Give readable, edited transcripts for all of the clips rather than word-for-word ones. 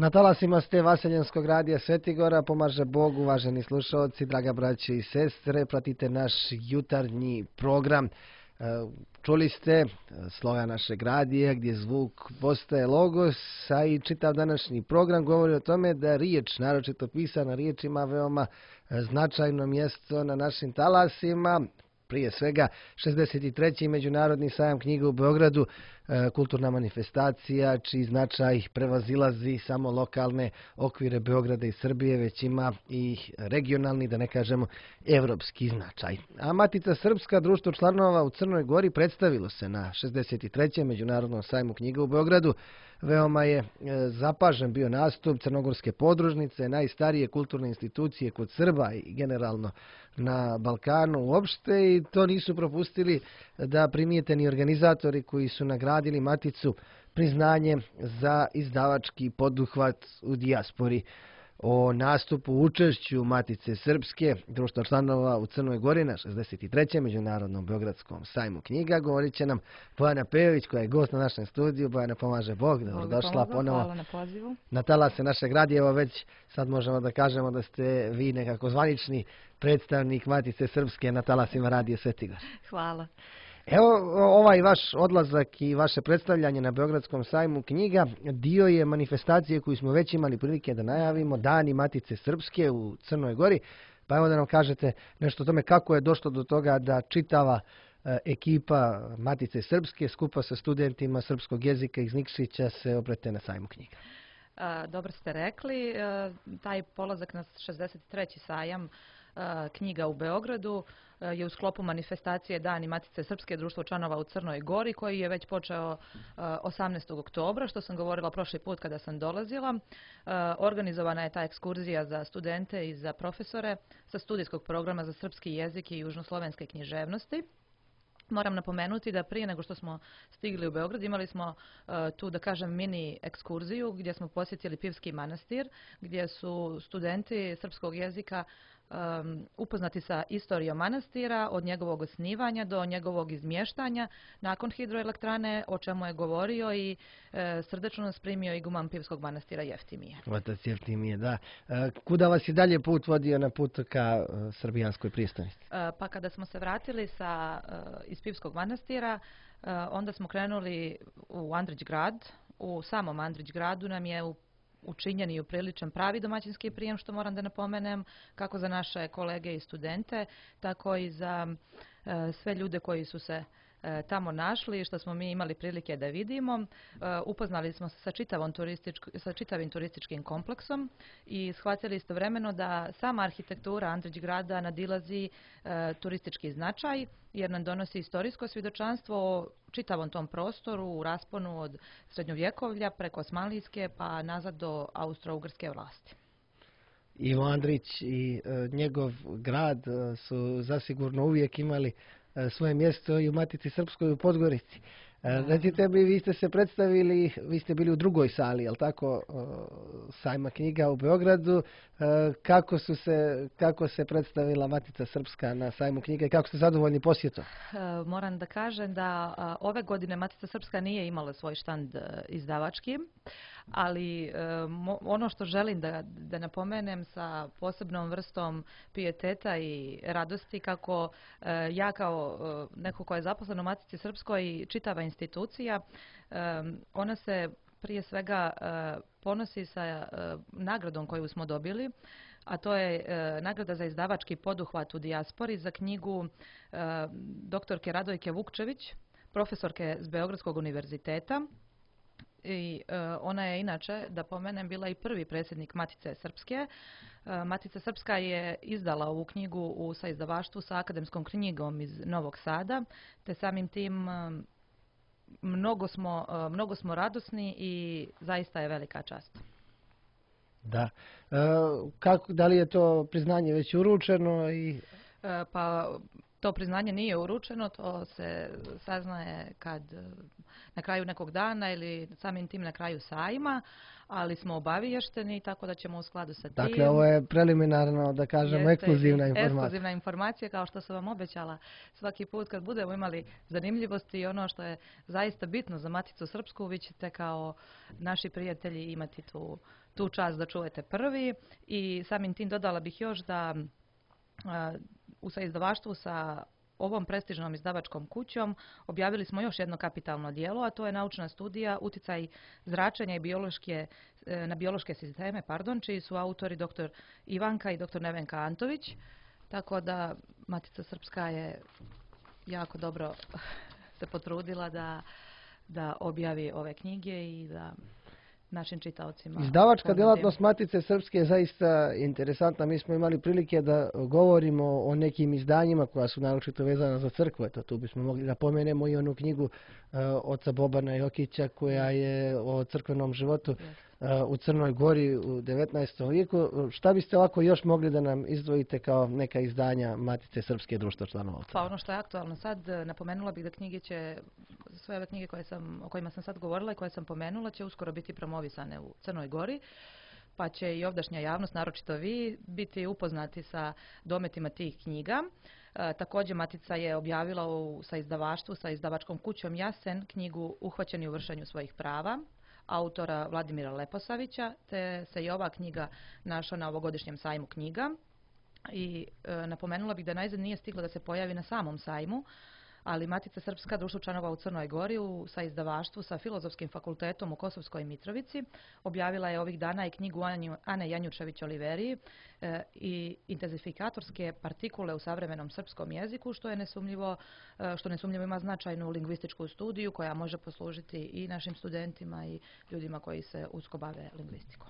Na talasima ste Vaseljenskog radija Svetigora, pomaže Bog, uvaženi slušalci, draga braće i sestre, pratite naš jutarnji program. Čuli ste sloga našeg radija gdje zvuk postaje logos, a i čitav današnji program govori o tome da riječ, naročito pisana riječ, ima veoma značajno mjesto na našim talasima. Prije svega 63. Međunarodni sajam knjiga u Beogradu, kulturna manifestacija čiji značaj prevazilazi samo lokalne okvire Beograda i Srbije, već ima i regionalni, da ne kažemo evropski značaj. A Matica Srpska, društvo članova u Crnoj Gori, predstavilo se na 63. Međunarodnom sajmu knjiga u Beogradu. Veoma je zapažen bio nastup Crnogorske podružnice, najstarije kulturne institucije kod Srba i generalno na Balkanu uopšte, i to nisu propustili da primijete ni organizatori koji su nagradili Maticu priznanje za izdavački poduhvat u dijaspori. O nastupu učešću Matice Srpske, društva članova u Crnoj Gori na 63. Međunarodnom Beogradskom sajmu knjiga govorit će nam Bojana Pejović, koja je gost na našem studiju. Bojana, pomaže Bog, dobrodošla ponovo na talase našeg radija. Evo već sad možemo da kažemo da ste vi nekako zvanični predstavnik Matice Srpske na talasima radija Svetigor. Hvala. Evo, ovaj vaš odlazak i vaše predstavljanje na Beogradskom sajmu knjiga dio je manifestacije koju smo već imali prilike da najavimo, Dani Matice Srpske u Crnoj Gori. Pa evo da nam kažete nešto o tome kako je došlo do toga da čitava ekipa Matice Srpske skupa sa studentima srpskog jezika iz Nikšića se obrete na sajmu knjiga. Dobro ste rekli, taj polazak na 63. sajam knjiga u Beogradu je u sklopu manifestacije Dani Matice Srpske, društvo članova u Crnoj Gori, koji je već počeo 18. oktobra, što sam govorila prošli put kada sam dolazila. Organizovana je ta ekskurzija za studente i za profesore sa studijskog programa za srpski jezik i južnoslovenske književnosti. Moram napomenuti da prije nego što smo stigli u Beograd imali smo tu, da kažem, mini ekskurziju gdje smo posjetili Pivski manastir, gdje su studenti srpskog jezika upoznati sa istorijom manastira od njegovog osnivanja do njegovog izmještanja nakon hidroelektrane, o čemu je govorio i srdečno nas primio iguman Pivskog manastira Jeftimije. Otac Jeftimije, da. Kuda vas je dalje put vodio na put ka srbijanskoj prijestolnici? Pa kada smo se vratili iz Pivskog manastira, onda smo krenuli u Andrić grad. U samom Andrić gradu nam je učinjen i upriličen pravi domaćinski prijem, što moram da napomenem, kako za naše kolege i studente, tako i za sve ljude koji su se tamo našli, što smo mi imali prilike da vidimo. Upoznali smo se sa čitavim turističkim kompleksom i shvatili istovremeno da sama arhitektura Andrić grada nadilazi turistički značaj, jer nam donosi istorijsko svjedočanstvo o čitavom tom prostoru u rasponu od srednjovjekovlja preko osmanlijske pa nazad do austro-ugrske vlasti. Ivo Andrić i njegov grad su zasigurno uvijek imali svoje mjesto i u Matici Srpskoj u Podgorici. Recite mi, vi ste se predstavili, vi ste bili u drugoj sali, jel tako, sajma knjiga u Beogradu. Kako se predstavila Matica Srpska na sajmu knjiga i kako ste zadovoljni posjetom? Moram da kažem da ove godine Matica Srpska nije imala svoj štand izdavački, ali ono što želim da napomenem sa posebnom vrstom pijeteta i radosti, kako ja kao neko ko je zaposlen u Matici Srpskoj i čitava institucija, ona se prije svega ponosi sa nagradom koju smo dobili, a to je nagrada za izdavački poduhvat u dijaspori za knjigu doktorke Radojke Vukčević, profesorke s Beogradskog univerziteta. I ona je inače, da pomenem, bila i prvi predsjednik Matice Srpske. Matica Srpska je izdala ovu knjigu u saizdavaštvu sa akademskom knjigom iz Novog Sada, te samim tim mnogo smo radosni i zaista je velika čast. Da. Da li je to priznanje već uručeno? Pa To priznanje nije uručeno, to se saznaje kad na kraju nekog dana ili samim tim na kraju sajma, ali smo obaviješteni, tako da ćemo u skladu sa tim... Dakle, ovo je preliminarno, da kažemo, ekskluzivna informacija. Ekskluzivna informacija, kao što sam vam obećala svaki put kad budemo imali zanimljivosti i ono što je zaista bitno za Maticu Srpsku, vi ćete kao naši prijatelji imati tu čast da čujete prvi. I samim tim dodala bih još da u saizdavaštvu sa ovom prestižnom izdavačkom kućom objavili smo još jedno kapitalno djelo, a to je naučna studija Uticaj zračenja i na biološke sisteme, čiji su autori dr. Ivanka i dr. Nevenka Antović. Tako da Matica Srpska je jako dobro se potrudila da objavi ove knjige i da našim čitaocima... Izdavačka djelatnost Matice Srpske je zaista interesantna. Mi smo imali prilike da govorimo o nekim izdanjima koja su naročito vezana za crkvu. Eto, tu bismo mogli da pomenemo i onu knjigu oca Bobana Jokića koja je o crkvenom životu u Crnoj Gori u 19. vijeku. Šta biste ovako još mogli da nam izdvojite kao neka izdanja Matice Srpske društva članova? Pa ono što je aktualno sad, napomenula bih da knjige će, sve ove knjige o kojima sam sad govorila i koje sam pomenula, će uskoro biti promovisane u Crnoj Gori, pa će i ovdašnja javnost, naročito vi, biti upoznati sa dometima tih knjiga. Također Matica je objavila sa izdavaštvu, sa izdavačkom kućom Jasen, knjigu Uhvaćeni u vršenju svojih prava, autora Vladimira Leposavića, te se i ova knjiga našla na ovogodišnjem sajmu knjiga. I napomenula bih da najzad nije stigla da se pojavi na samom sajmu, ali Matica Srpska društvo članova u Crnoj Gori sa izdavaštvu sa Filozofskim fakultetom u Kosovskoj Mitrovici objavila je ovih dana i knjigu Ane Janjučević-Oliveriji i intenzifikatorske partikule u savremenom srpskom jeziku, što nesumnjivo ima značajnu lingvističku studiju koja može poslužiti i našim studentima i ljudima koji se usko bave lingvistikom.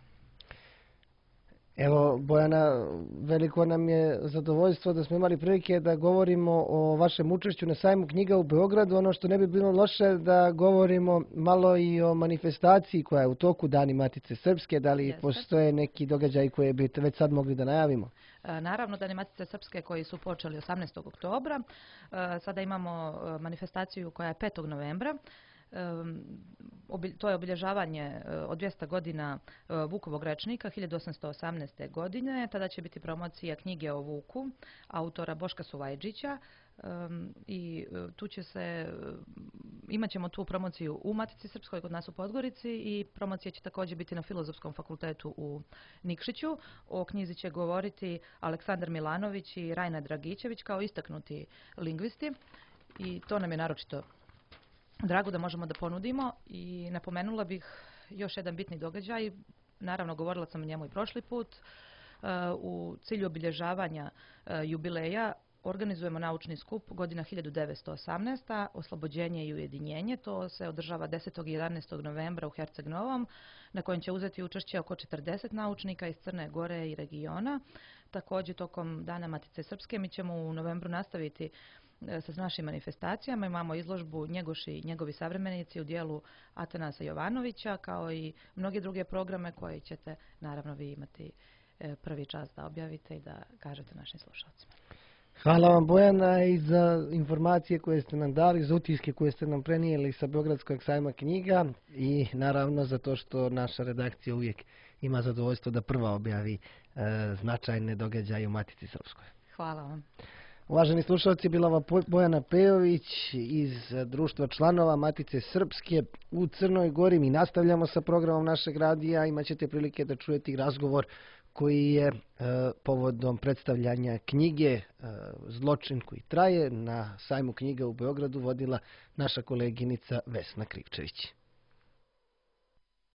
Evo, Bojana, veliko nam je zadovoljstvo da smo imali prilike da govorimo o vašem učešću na sajmu knjiga u Beogradu. Ono što ne bi bilo loše da govorimo malo i o manifestaciji koja je u toku Dani Matice Srpske. Da li postoje neki događaj koje bi već sad mogli da najavimo? Naravno, Dani Matice Srpske koji su počeli 18. oktobra. Sada imamo manifestaciju koja je 5. novembra. To je obilježavanje od 200 godina Vukovog rečnika 1818. godine. Tada će biti promocija knjige o Vuku, autora Boška Suvajđića. I imat ćemo tu promociju u Matici Srpskoj kod nas u Podgorici i promocija će također biti na Filozofskom fakultetu u Nikšiću. O knjizi će govoriti Aleksandar Milanović i Rajna Dragićević kao istaknuti lingvisti i to nam je naročito drago da možemo da ponudimo. I napomenula bih još jedan bitni događaj, naravno govorila sam o njemu i prošli put, u cilju obilježavanja jubileja organizujemo naučni skup godina 1918. Oslobođenje i ujedinjenje. To se održava 10. i 11. novembra u Herceg Novom, na kojem će uzeti učešće oko 40 naučnika iz Crne Gore i regiona. Također tokom Dana Matice Srpske mi ćemo u novembru nastaviti sa našim manifestacijama. Imamo izložbu Njegoš i njegovi savremenici u dijelu Atanasa Jovanovića, kao i mnoge druge programe koje ćete naravno vi imati prvi čas da objavite i da kažete našim slušalcima. Hvala vam, Bojana, i za informacije koje ste nam dali, za utiske koje ste nam prenijeli sa Beogradskog sajma knjiga i naravno za to što naša redakcija uvijek ima zadovoljstvo da prva objavi značajne događaje u Matici Srpskoj. Hvala vam. Uvaženi slušalci, bila vam Bojana Pejović iz društva članova Matice Srpske u Crnoj Gori. Mi nastavljamo sa programom našeg radija. Imaćete prilike da čujete razgovor koji je povodom predstavljanja knjige Zločin koji traje na sajmu knjiga u Beogradu vodila naša koleginica Vesna Krivčević.